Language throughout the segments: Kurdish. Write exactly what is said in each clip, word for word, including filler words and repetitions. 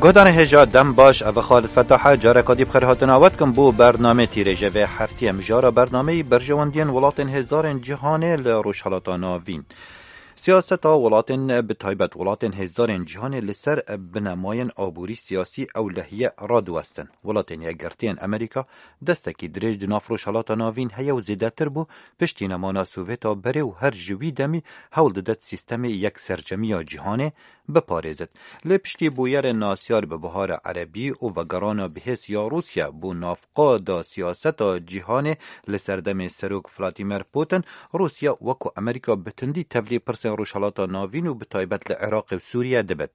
Guhdarên hêja dem baş, ev Xalid Fetah e, careka dî bi xêr hatina we dikim bo bernamê tîrêje vê heftiyê. Mijara bernameyî berjewendiyên welatên hêzdarên cîhanê li Rojhelata Navîn. Siyaseta welatên, bi taybet welatên hêzdarên cîhanê li ser binemayên aborî siyasî ew lehiye radiwestin. Welatên Yekgirtiyên Amerîka destekî dirêj di nav Rojhelata Navîn heye û zêdetir bû piştî nemana Sovêta berê û her ji wî demî hewl didet sîstemê yeksercemiya cîhanê biparêzit. Lê piştî bûyerên nasyar bi buhara erebî û vegerana bihêz ya Rûsya bo navqa da siyaseta cîhanê li serdemê Serok Vladimir Putin, Rûsya wekû Amerîka bi tundî tevlî pirsên Rojhelata Navîn û bi taybet li Iraqê û Sûriye dibit.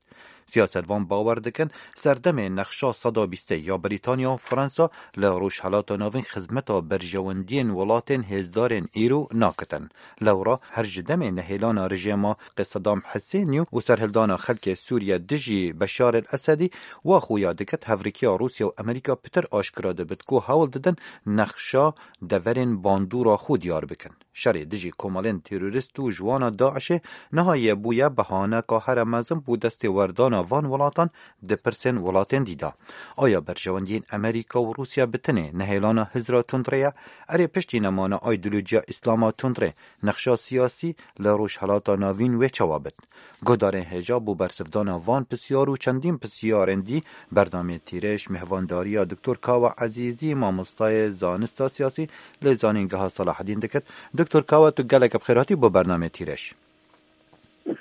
Siyasetvan bawer dikin, serdemê nexşa seda bîstê ya Brîtanya û Fransa li Rojhelata Navîn xizmeta berjewendiyên welatên hêzdarên îro nakitin. Lewra her ji demê nehêlana rejêma Sedam Husênî û serhildana xelkê Sûriye dijî Beşar el Esedî, wa xuya diket hevrikiya Rûsya û Amerîka pitir aşkira dibit ku hewl didin nexşa deverên bandora xwe diyar bikin. Şerê dijî komelên terorîst û ji wana DAIŞê niha yê bûye behaneka here mezin bo destêwerdana van welatan di pirsên welatên dî de. Aya berjewendiyên Amerîka û Rûsya bi tenê nehêlana hizra tundrê ye? Erê, piştî nemana aydolojiya Îslama tundrê, nexşa siyasî li Rojhelata Navîn wê çawa bit? Guhdarên hêja bo bersivdana van pisyar û çendîn pisyarên dî bernameyê tîrêj mêhvandariya Doktor Kawa Ezîzî, mamostayê zanista siyasî li Zanîngeha Selahedîn dikit. Doktor Kawa, tu gelek bi xêr hatî bo bernameyê tîrêj.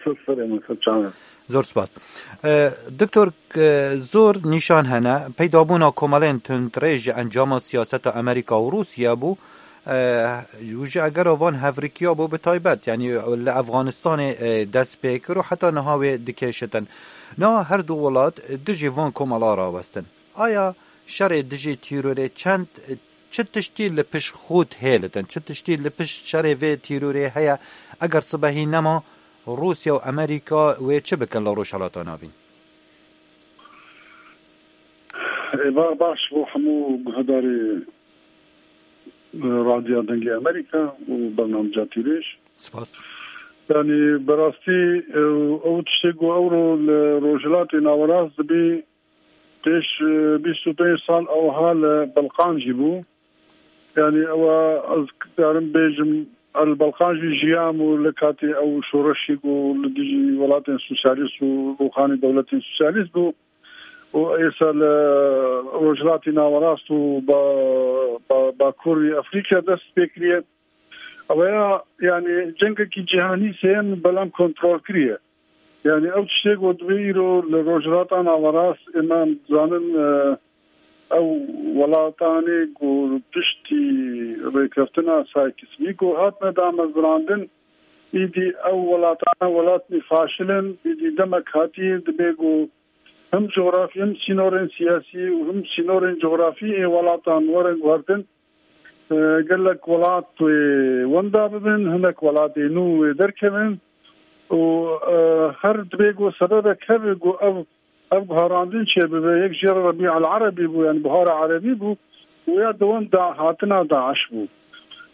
Ser serê min, ser çavê. Zor spas. E, Doktor, e, zor nîşan hene, peydabûna komelên tundrê ji encama siyaseta Amerîka û Rûsya bû, e, û ji egera van hevrikiya bû bi taybet, yanî li Efganistanê, e, dest pê kir û heta niha wê dikêşitin. Niha her du welat dijî van komela rawestin. Aya şerê dijî tîrorê çend, çi tiştî li pişt xwe hêlitin, çi tiştî li pişt şerê vê tîrorê heye, eger sibehî nema Rûsya û Amerîka wê çi bikin li Rojhelata Navîn? Êvar baş bo hemû guhdarê, e, Radyoya Dengê Amerîka û bernameca Tîrêj. Spas. Yanî, bi rastî, e, ew tiştê ku ewro li Rojhilatê Nawerast dibî, pêş, e, bîst û pênc sal ewha li Belqan jî bû. Yanî, ew ez karim bêjim, ez li Belqan jî jiyam û li katê ew şoreşê ku li dijî welatên sosyalîst û rûxanî dewletên sosyalîst bû. û êsa li Rojhilatî Nawerast û ba-, ba-, Bakurî Efrîkya dest pê kiriye. Ew ya, yanî, cengekî cîhanî sêyem belam kontrol kiriye. Yanî, ew tiştê ku divê îro li Rojhilata Nawerast, ême em dizanin, e, ew welatanê ku piştî rêkeftina Sykes-Picot hatine damezrandin, îdî ew welatane welatnî faşil in, îdî demek hatiye dibê ku him cografî, him sînorên siyasî û him sînorên cografî ê welatan werin guhertin, e, gelek welat wê wenda bibin, hinek welatê nû wê derkevin û, e, her dibê ku sebebek hebe ku ev, ev guherandin çêbibe, yek jê re Rebî el Erebî bû, yanî Buhara Erebî bû, û ya dewem da hatina DAIŞ bû.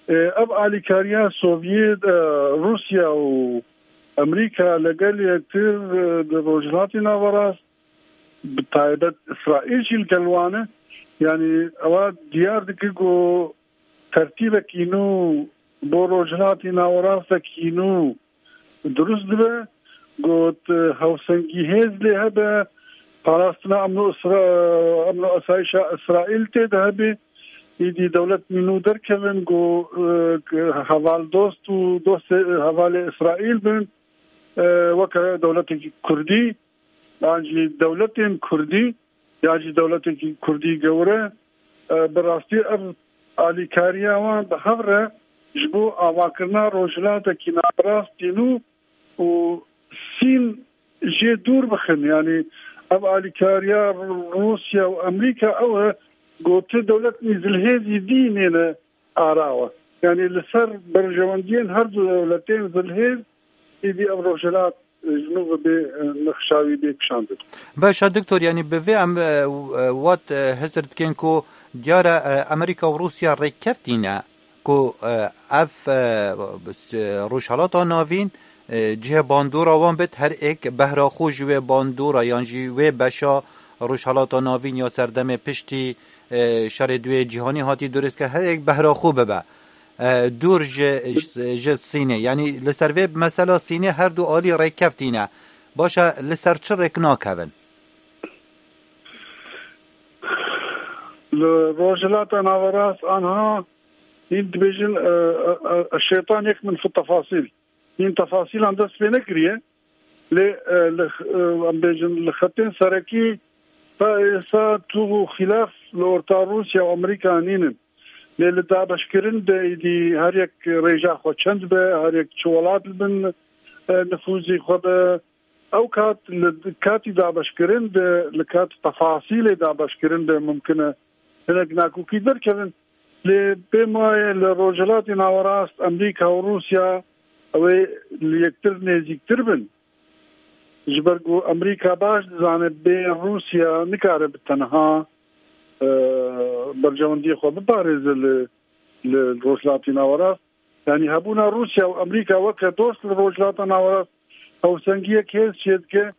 E, ev alîkariya Sovyet, e, Rûsya û Amerîka legel yektir, e, di Rojhilatî Nawerast, bi taybet Îsraîl jî li gel wan e. Yanî ewa diyar dike ku tertîbekî nû bo Rojhilatî Nawerastekî nû dirust dibe. Got, hewsengî hêz lê hebe, parastina emn û Îsra-, emn û asayişa Îsraîl tê de hebe. Îdî dewletî nû derkevin ku, e, heval dost û dostê, hevalê Îsraîl bin, e, weke dewletekî Kurdî. Yan jî dewletên Kurdî, yan jî dewletekî Kurdî gewre, e, bi rastî ev alîkariya wan bi hev re ji bo avakirina rojhilatekî narast tînû û sîn jê dûr bixin. Yanî ev alîkariya Rûsya û Amerîka ew e, ku ti dewletên zilhêzî dî nêne ara we. Yanî li ser berjewendiyên her du dewletên zilhêz êdî ev rojhilat, e, ji nû ve bê, e, nexşa wî bê kişandin. Baş e, Doktor, yanî bi vê em, e, e, wat, e, hizir dikin ku diyar e, e, Amerîka û Rûsya rêkkeftî ne ku, e, ev, e, s-, Rojhelata Navîn, e, cihê bandora wan bit, her êk behra xwe ji wê bandora yan jî wê beşa Rojhelata Navîn ya serdemê piştî, e, şerê duyê cîhanî hatî durist kir, herek behra xwe bibe. E, dûr ji, ji Sînê. Yanî li ser vê mesela Sînê her du alî rêk keftîne. Baş e, li ser çi rêk nakevin? Li Rojhilata Naverast anha hîn dibêjin, e, e, e, şeytan yekmin fi tefasîl. Hîn tefasîlan dest pê nekiriye. Lê, e, li, e, em bêjin li xetên serekî ta êsa tû û xîlaf li orta Rûsya û Amerîka nînin. Lê li dabeşkirin de êdî her yek rêja xwe çend be, her yek çi welat li bin, e, nifûzî xwe be. Ew kat li katî dabeşkirin de, li kat tefasîlê dabeşkirin de mimkin e hinek nakokî derkevin. Lê pê maye li Rojhilatê Nawerast Amerîka û Rûsya ew ê li yektir nêzîktir bin. Ji ber ku Amerîka baş dizane bê Rûsya nikare bi tenha, e, berjewendiyê xwe biparêze li, li Rojhilatê Nawerast. Yanî hebûna Rûsya û Amerîka weke dost li Rojhilata Nawerast hewsengiyek hêz çêdike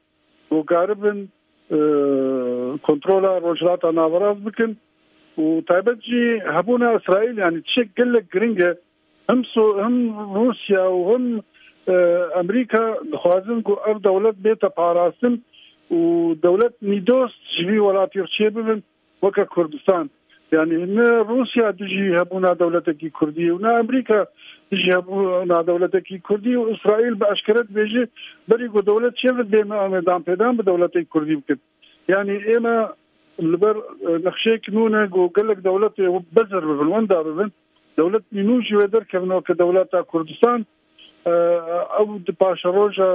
ku karibin, e, kontrola Rojhilata Nawerast bikin û taybet jî hebûna Îsraîl, yanî tiştek gelek giring e. Him So-, him Rûsya û him, e, Amerîka dixwazin ku ev dewlet bête parastin û dewlet nîdost ji vî welatî re çêbibin. Weke Kurdistan. Yanî ne Rûsya dijî hebûna dewletekî Kurdî û ne Amerîka dijî hebûna dewletekî Kurdî û Îsraîl bi eşkere dibêje berî ku dewlet çêve dê me em ê danpêdan bi dewletê Kurdî bikin. Yanî ême li ber, e, nexşeyek nû ne ku gelek dewletê bezir bibin, wenda bibin. Dewlet nû jî wê derkevin weke dewleta Kurdistan. E, ew di paşeroja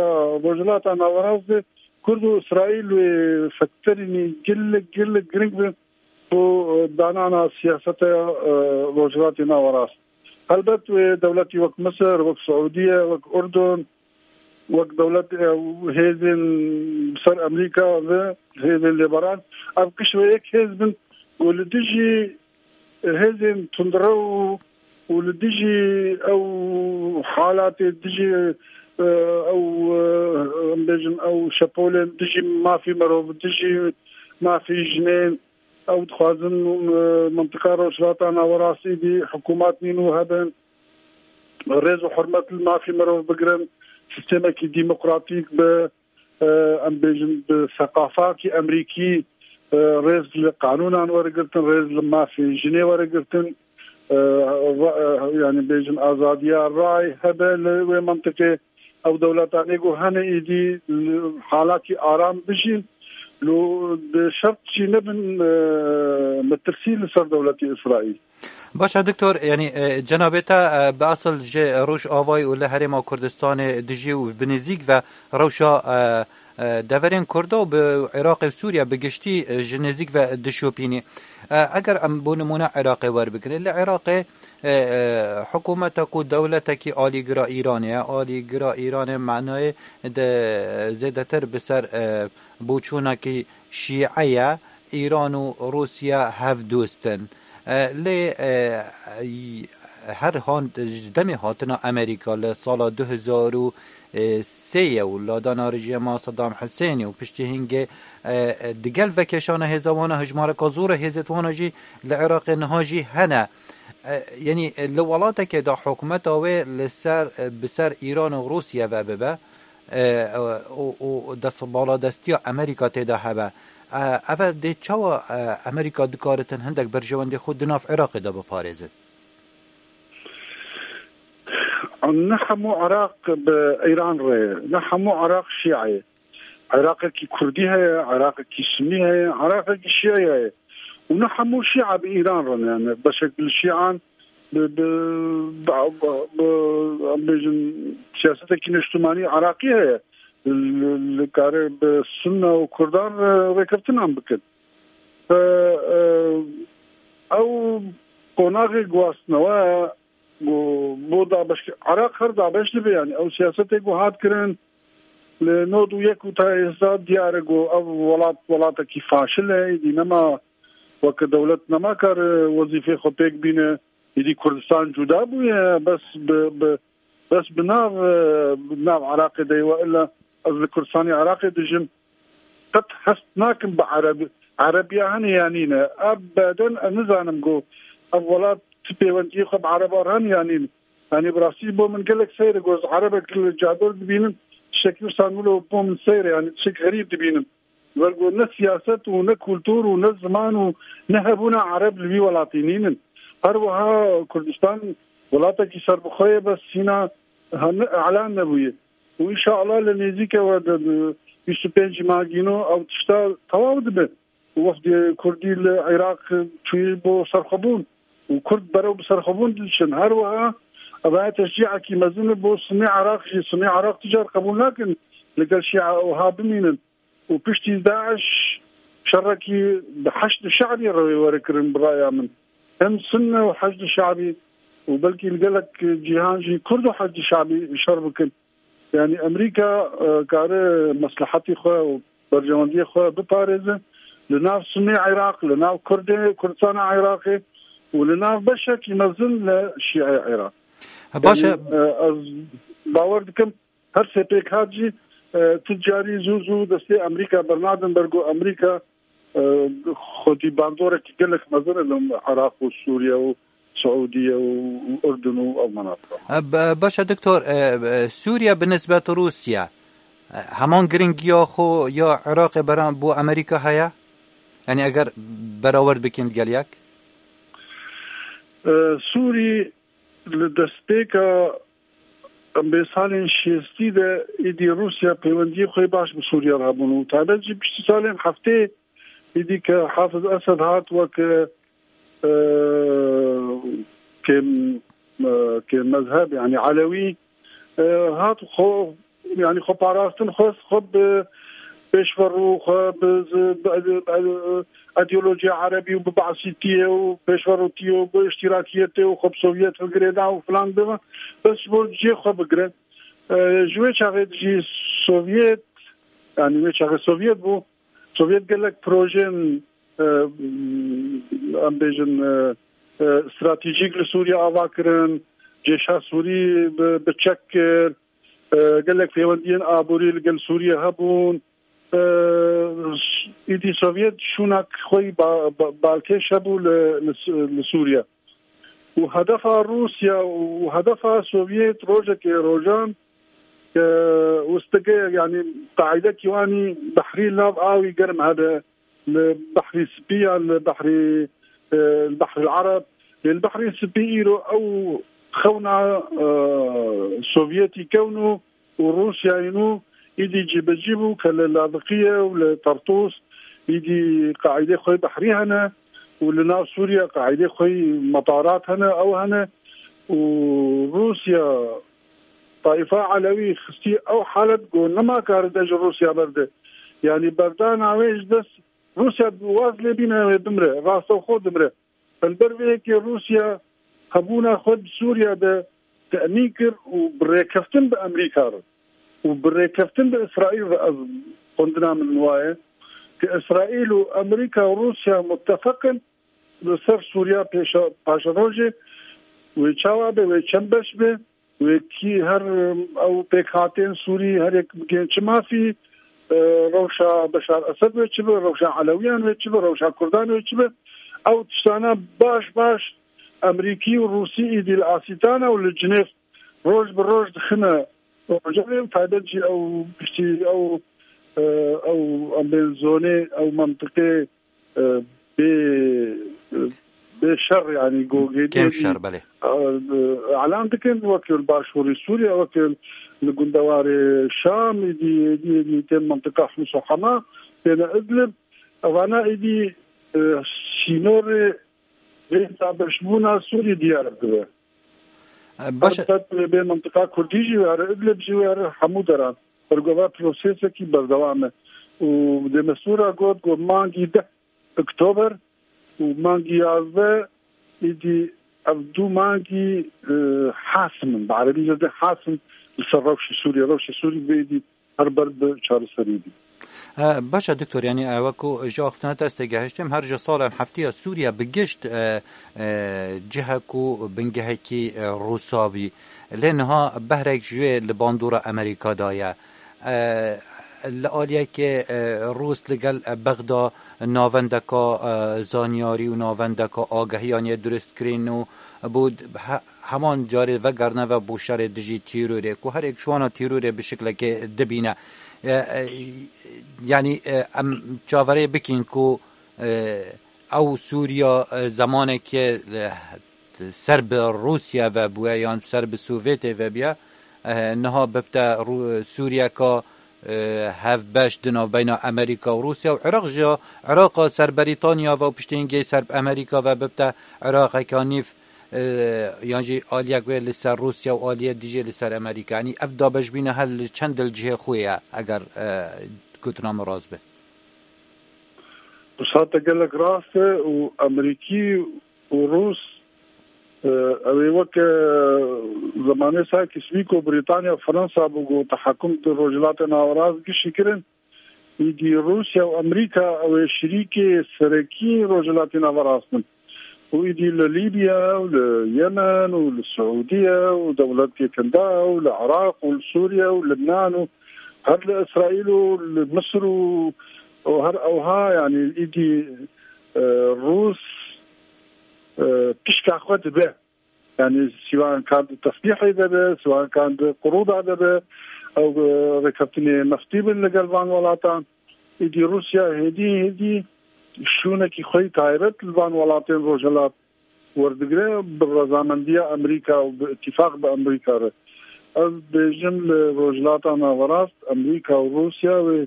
Rojhilata Nawerast de Kurd û Îsraîl wê fekterînî gelek, gelek giring bin bo, e, danana siyaseta, e, Rojhilatê Nawerast. Helbet wê dewletî wek Misir, wek Siûdiye, wek Urdun, wek dewlet, e, hêzên ser Amerîka ve hêzên lêberan, ev giş wê yek hêz bin û li dijî hêzên tundrew û li dijî ew halatê dijî, e, ew, e, em bêjin ew şepolên dijî mafî merov, dijî mafî jinên, ew dixwazin, e, mintiqa Rojhilata Nawerastî dî hikûmat nî nû hebin, rêz û hurmet li mafî merov bigirin, sîstemekî demokratîk bi, e, em bêjin bi seqafakî Amerîkî, e, rêz li qanûnan were girtin, rêz li mafê jinê were girtin, e, ra-, e, yanî bêjin azadiya ray hebe li wê mintiqê, ew dewletanê ku hene êdî li halakî aram bijîn, lo bi şert jî nebin, e, metirsî li ser dewletê Îsraîl. Baş e, Doktor, yanî, e, cenabê te, e, bi esil ji Rojavayê û li Herêma Kurdistanê dijî û bi nêzîk ve rewşa, e, e, deverên Kurda û bi Iraqê û Sûriye bi giştî, e, ji nêzîk ve dişopînî. E, eger em bo nimûne Iraqê werbigrin, li Iraqê, e, e, hikûmeta ku dewletekî alîgira Îranê ye, alîgira Îranê manayê de zêdetir bi ser, e, boçûnekî şîe ye, Îran û Rûsya hevdost in. E, lê, e, her han-, ji demê hatina Amerîka li sala du hezar û sê ye û ladana rejîma Saddam Husênê û piştî hingê, e, digel vekeşana hêza wana hijmareka zor e, hêzê wana jî li Iraqê niha jî hene. E, yanî li welatekê de hikûmeta wê li ser, bi ser Îran û Rûsya ve bibe, e, û, û dest, baladestiya Amerîka tê de hebe. E, ev dê çawa, e, Amerîka dikaritin hindek berjewendê xwe di nav Iraqê de biparêzin? Ne hemû Iraq bi Îran re ye, ne hemû Iraq Şîa ye. Iraqekî Kurdî heye, Iraqekî Sunî heye, Iraqekî Şîa heye. Û ne hemû Şîa bi Îran re ne. Yani beşek li Şîan bi, bi, bi, bi, em bêjin siyasetekî niştimanî Iraqî heye. Li, li kare bi Sunne û Kurdan re rêkeftinan bikin. Ve, e, ew qonaxê guhastnewe bo, bo dabeşkir-, Iraq her dabeş dibe, yani ew siyasetê ku hat kirin, li nod û yek û ta êsta diyar e ku ev welat, welatekî faşil e, êdî nema weke dewlet nema kar, e, wezîfê xwe pêk bîne, êdî Kurdistan cuda bûye, bes bi, bi, bes bi nav, e, bi nav Iraqê de ye, we illa ez li Kurdistanê Iraqê dijim. qet hest nakim bi Ereb, Erebiya hene ya nîne. Ebeden ez nizanim ku ev welat ti pêwendiyê xwe bi Ereba re hene ya nîne. Yanî bi rastî bo min gelek seyr e ku ez Erebek li cador dibînim, tiştekî wisa wilo bo min seyr e, yanî tiştek xerîb dibînim. Wer ku ne siyaset û ne kultur û ne ziman û ne hebûna Ereb li vî welatî nînin. Her wiha Kurdistan welatekî serbixwe ye, bes hîna hene, elan nebûye. Û înşallah li nêzîke we de, de bîst û pênc magîno ew tişta tewaw dibe. Wefdê Kurdî li Iraq çûyî bo serxwebûn û Kurd berew bi serxwebûn diçin. Her wiha ev teşcîekî mezin e bo Sunî Iraq jî. Sunî Iraq tu car qebûl nakin li gel Şîa wiha bimînin. Û piştî DAIŞ şerekî bi Heşd Şe'bî re were kirin bi raya min. Hem Sunne û Heşd Şe'bî û belkî li gelek cîhan jî Kurd û Heşd Şe'bî şer bikin. Yanî Amerîka, e, kare meslehetî xwe û berjewendiyê xwe biparêze li nav Sunî Iraq, li nav Kurdê, Kurdistana Iraqê û li nav beşekî mezin li Şîayê Iraq. Baş e. Yanî, e, ez bawer dikim her sê pêkhat jî, e, tu carî zû zû destê Amerîka bernadin ber ku Amerîka, e, xwedî bandorekî gelek mezin e li Iraq û Sûriye û Siûdiye û, û Urdun û ev menatiqa. E, b-, baş e, doktor, e, e, Sûriye bi nisbet Rûsya, e, heman giringiya xwe ya Iraqê beran bo Amerîka heye? Yanî eger berawer bikin gel yek? E, Sûrî li destpêka em bê salên şêstî de êdî Rûsya pêwendiyê xwe baş bi Sûriye re hebûn û taybet jî piştî salên heftê êdî ke Hafiz Esed hat wek, e, kêm, e, kêm mezheb, yanî Elewî, e, hat xwe, yanî xwe parastin xwest, xwe bi pêşverû, xwe bi z-, bi, bi, bi, ideolojiya Erebî û bi Basîtiyê û pêşverûtiyê û bi îştîrakiyetê û xwe bi Sovyet bigirêda û filan bibe, bes ji bo cihê xwe bigire. E, ji wê çaxê jî Sovyet, yanî wê çaxê Sovyet bû, Sovyet gelek projeyên, e, em bêjin, e, e, stratejîk li Sûriye ava kirin, cêşa Sûrî bi, bi çek kir, e, gelek pêwendiyên aborî li gel Sûriye hebûn. E, îdî Sovyet şûnak xwe yî ba-, ba-, balkêş hebû li, li Sû-, li Sûriye. Û hedefa Rûsya û hedefa Sovyet rojekê rojan, e, wistige, yanî qaîdekî wanî behrî li nav awî germ hebe, li Behrî Spî ya, li Behrî, e, li Behrî Ereb. Lê li Behrî Spî îro ew xewna, e, Sovyetî kewno û Rûsyayê nû îdî cîbecî bû ke li Laziqiyê û li Tartûs îdî qaîdê xwe behrî hene û li nav Sûriye qaîdê xwe metarat hene, ew hene û Rûsya Taîfa Elewî xistî ew halet ku nema karide ji Rûsya berde. Yanî berdana wê ji dest Rûsya waz lê bîne wê bimre, rastewxo dimre. Li ber vê yekê Rûsya hebûna xwe di Sûriya de temîn kir û bi rêkeftin bi Amerîka re û bi rêkeftin bi Îsraîl re, ez xwendina min waye, ke Îsraîl û Amerîka û Rûsya muttefeq in li ser Sûriya pêşa-, paşerojê wê çawa be, wê çend beş be, wê kî her, ew pêkhatên Sûrî her yek bigên çi mafî, e, rewşa Beşar Esed wê çi be, rewşa Elewiyan wê çi be, rewşa Kurdan wê çi be. Ew tiştana baş baş Amerîkî û Rûsî îdî li Asîtana û li Cinêv roj bi roj dixine rojevê û taybet jî ew piştî ew, e, ew em bên zonê ew mentiqê, e, bê, e, bê şer, yanî gogê kêm şer, belê. E, elan dikin wekî li başûrî Sûriye, wekî li gundewarê Şam, êdî, êdî, êdî tên mentiqa Hims û Hema, têne Idlib. Evana êdî, e, sînorê bê dabeşbûna Sûrî diyar dibe. E, baş e. Elbet bê mentiqa Kurdî jî were, Idlib jî were, hemû deran. Bergova prosesekî berdewam e. Û demestûra got, got mangî deh Oktober û mangî yazdeh êdî ev du mangî, e, hasim in. Bi erebî jê dê hasim li ser rewşê Sûriye. Rewşê Sûrî bê êdî her ber bi çareserî bî. E, baş e, doktor, yanî, e, wekû ji axiftina te ez têgehiştim, her ji salên heftiya Sûriye bi gişt, e, e, cihek û bingehekî, e, Rûsa bî. Lê niha behrek ji wê li bandora Amerîka de ye. E, Li aliyekê, e, Rûs li gel, e, Bexda navendeka, e, zanyarî û navendeka agahiyan yê dirust kirin û bû he-, heman carê vegerine ve bo şerê dijî tîrorê, ku her êk ji wana tîrorê bi şiklekê dibîne. E, e, yanî, e, em çaverê bikin ku, e, ew Sûriya, e, zemanekê, e, ser bi Rûsya ve bûye yan ser bi Sovyetê ve bûye, e, niha bibte Rû-, Sûriyeka, e, hevbeş di navbeyna Amerîka û Rûsya û Iraq jî ya, Iraqa ser Berîtanya ve û piştî hingê ser bi Amerîka ve bibte Iraqeka nîv, e, yan jî aliyek wê li ser Rûsya û aliyê dijî li ser Amerîka. Yanî ev dabeşbîna her li çend li cihê xwe ye, eger, e, gotina min rast be. Wisa te gelek rast e û Amerîkî û Rûs, e, ew ê weke zemanê Sykes-Picot Brîtanya, Fransa bû ku tehakum di Rojhilatê Naverast gişî kirin. Îdî Rûsya û Amerîka ew ê şirîkê serekî Rojhilatê Naverast in. Û îdî li Lîbya û li Yemen û li Siûdiye û dewletê Kinda û li Iraq û li Sûriye û Libnan û her li Îsraîl û li Misir û, û her ewha, yanî îdî, e, Rûs, e, pişka xwe dibe. Yanî siwan kan di teslîhê de be, siwan kan di qurûda de be, ew, e, rêkeftinê neftî bin li gel van welatan. Îdî Rûsya hêdî hêdî şûnekî xwe yî taybet li van welatên Rojhilat werdigire, bi rezamendiya Amerîka û bi îtîfaq bi Amerîka re. Ez dibêjim li Rojhilata Naverast, Amerîka û Rûsya wê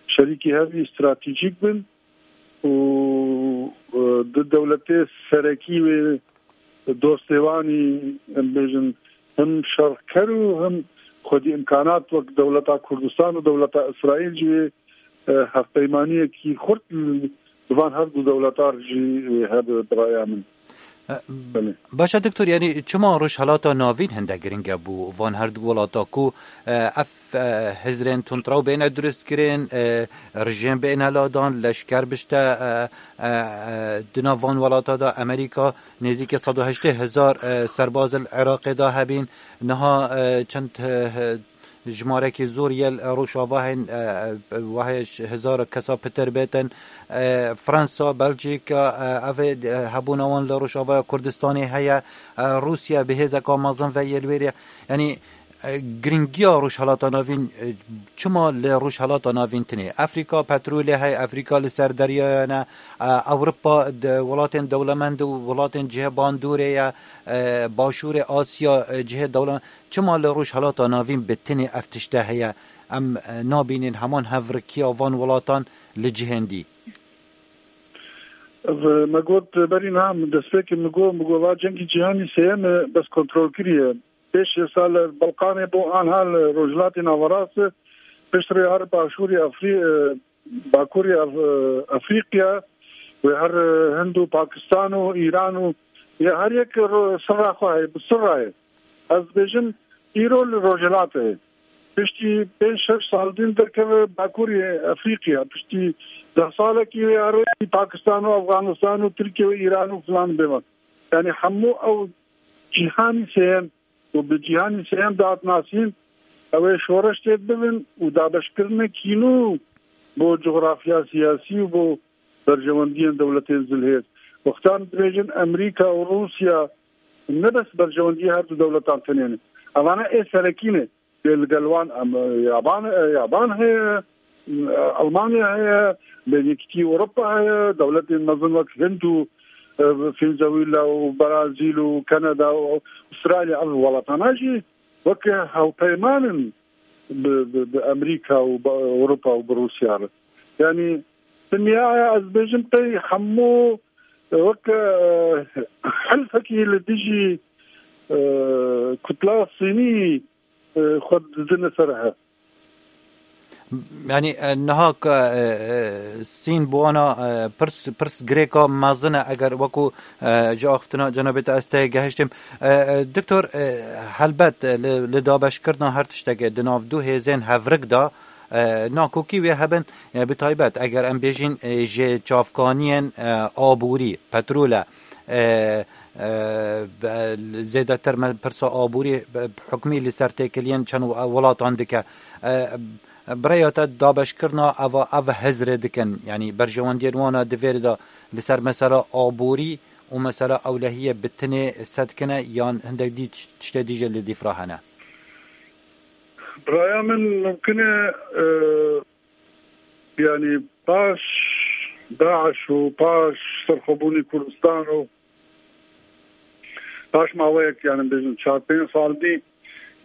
şerîkî hev jî stratejîk bin û, e, du dewletê serekî wê dostê wan î, em bêjin, him şerker û him xwedî îmkanat wek dewleta Kurdistan û dewleta Îsraîl jî wê, e, hevpeymaniyekî xurt li, li van her du dewletar jî wê hebe, bi raya min. E, Belê. Baş e, Doktor, yanî çima Rojhelata Navîn hinde giring e bo van her du welata ku, e, ev, e, hizrên tundrew bêne dirust kirin, e, rejîm bêne ladan, leşker bişte, e, e, e, di nav van welata de Amerîka nêzîkî sed û heştê hezar, e, serbaz li Iraqê de hebîn. Niha, e, çend, e, e, jimarekî zor yê li Rojavayên, e, e, wahê ji hezar kesa pitir bêtin. E, Fransa, Belçîka, e, ev ê, e, hebûna wan li Rojavaya Kurdistanê heye. E, Rûsya bi hêzeka mezin ve yê li wêrê. Yanî, e, giringiya Rojhelata Navîn, e, çima li Rojhelata Navîn tinê? Efrîka petrolê heye, Efrîka li ser deryaya ne, e, Ewropa de, welatên dewlemend û welatên cihê bandorê ye, e, Başûrê Asya, e, cihê dewlemend. Çima li Rojhelata Navîn bi tinê ev tişte heye? Em, e, nabînin heman hevrikiya van welatan li cihên dî. Ev, me got berî niha, min destpêkê min got, min got, va cengî cîhanî sêyem e, bes kontrol kiriye. Pêş êsa li Balkanê bû, anha li Rojhilatê Naverast e, piştre her başûrê Efrî-, e, Bakurê Af-, Efrîqya, wê her, e, Hind û Pakistan û Îran û, ya her yek ro-, sirra xwe heye, bi sirra ye. Ez dibêjim, îro li Rojhilat e. Piştî pênc şeş sal din derkeve Bakurê Efrîqya. Piştî deh salekî wê arê Pakistan û Afganistan û Tirkiye û Îran û filan bêvan. Yanî hemû ew cîhanî sêyem û bi cîhanî sêyem dihat nasîn, ew ê şoreş têd bibin û dabeşkirinekî nû bo cografya siyasî û bo berjewendiyên dewletên zilhêz. Wextan dibêjin Amerîka û Rûsya ne bes berjewendiyê her du dewletan tenê ne. Evane ê serekî ne. Lê li gel wan em, e, yaban, e, yaban heye, e, Almanya heye, Yekîtî Ewropa heye, dewletên mezin wek Hind û, e, Venezuela û Brazîl û Kanada û Astralya, ev welatana jî weke hevpeyman in bi, bi, bi Amerîka û bi Ewropa û bi Rûsya re. Yanî dinyaya, ez bêjim, qey hemû weke, e, helfekî li dijî, e, kutla Sînî, e, xwe didine ser hev. Yanî, e, niha ke, e, e, Sîn bi wana, e, pirs, pirs girêka mezin e, eger wekû, e, ji axiftina cenabê te ez tê gehiştim. E, e, Doktor, e, helbet, e, li, li dabeşkirina her tiştekê di nav du hêzên hevrik de, e, nakokî wê hebin, e, bi taybet eger em bêjin, e, ji çavkaniyên, e, aborî, petrol e, e, e, be-, zêdetir me pirsa aborî, be-, hikmî li ser têkiliyên çend we-, welatan dike. E, bi rêya te dabeşkirina eva, ev hizrê dikin, yanî berjewendiyên wan a di vêrê de li ser mesela aborî û mesela ewlehiyê bi tinê sedkine yan hindek dî tiş-, tiştê dî jî li dîfra hene? Biraya min mumkin e, e, yanî paş DAIŞ û paş serxwebûnî Kurdistan û paş maweyek, yanî bêjin çar pênc sal dî,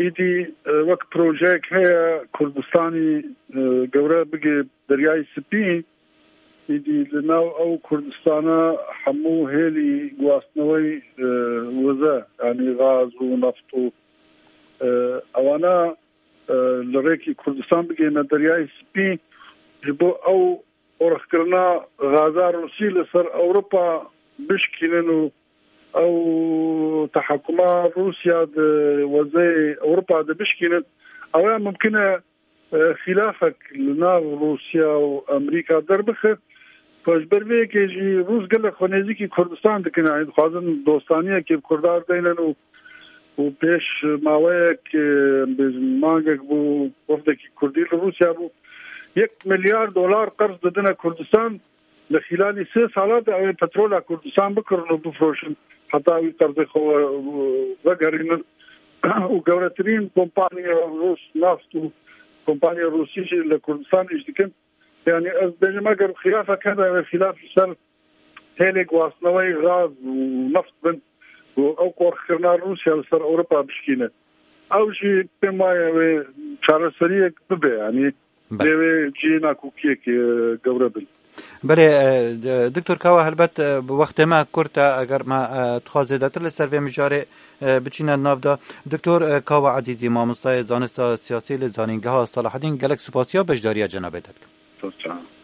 îdî, e, wek projeyek heye Kurdistanî, e, gewre bigê Deryayê Spî, îdî li nav ew Kurdistana hemû hêlî guhastinewey, e, wize, yanî gaz û neft û, e, ewana, e, li rêkî Kurdistan bigihîne Deryayê Spî, ji bo ew qorxkirina gaza Rûsî li ser Ewropa bişkînin û ew tehekuma Rûsya di wezeyê Ewropa de bişkînin, ew ya mumkin e, e, xîlafek li nav Rûsya û Amerîka derbixe. Ku ji ber vê yekê jî Rûs gelek xwe nêzîkî Kurdistan dikin, yanî dixwazin dostaniyekê bi Kurdan deynin û, û pêş maweyek, e, em bêjin mangek bû, wefdekî Kurdî li Rûsya bû. Yek milyar dolar qerz didine Kurdistan, li xîlalî sê sala de ew ê petrola Kurdistan bikirin û bifroşin, heta wî qerzê xwe we-, vegerînin. Û gewretirîn kompaniya Rûs neft û kompaniya Rûsî jî li Kurdistan îş dikin. Yanî ez dibêjim, eger xilafek hebe, ew ê xilaf ji ser hêlê guhastineweyî gaz û neft bin û ew qorxkirina Rûsya li ser Ewropa bişkîne. Ew jî pê maye wê çareseriyek bibe, yanî Belê. Lê wê cihê nakokiyekê, e, gewre bin. Belê, e, d-, Doktor Kawa, helbet, e, bi wextê me kurt e, eger me, e, dixwaz zêdetir li ser vê mijarê, e, biçîne nav de. Doktor, e, Kawa Ezîzî, mamostayê zanista siyasî li Zanîngeha Selahedîn, gelek spasiya beşdariya cenabê te dikim. Spas.